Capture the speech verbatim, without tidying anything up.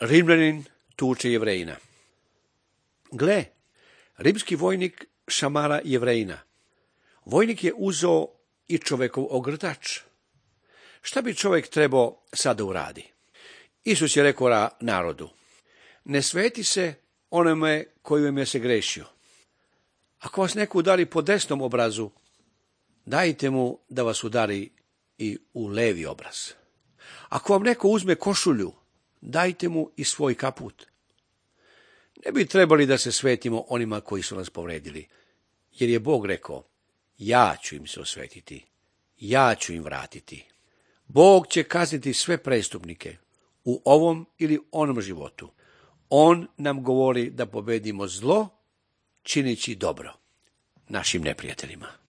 Rimljanin tuče Jevrejina. Gle, rimski vojnik šamara Jevrejina. Vojnik je uzeo i čovekov ogrtač. Šta bi čovjek trebao sada uradi? Isus je rekao narodu, ne sveti se onome koji vam je se grešio. Ako vas neko udari po desnom obrazu, dajte mu da vas udari i u levi obraz. Ako vam neko uzme košulju, dajte mu i svoj kaput. Ne bi trebali da se svetimo onima koji su nas povredili, jer je Bog rekao, ja ću im se osvetiti, ja ću im vratiti. Bog će kazniti sve prestupnike u ovom ili onom životu. On nam govori da pobedimo zlo čineći dobro našim neprijateljima.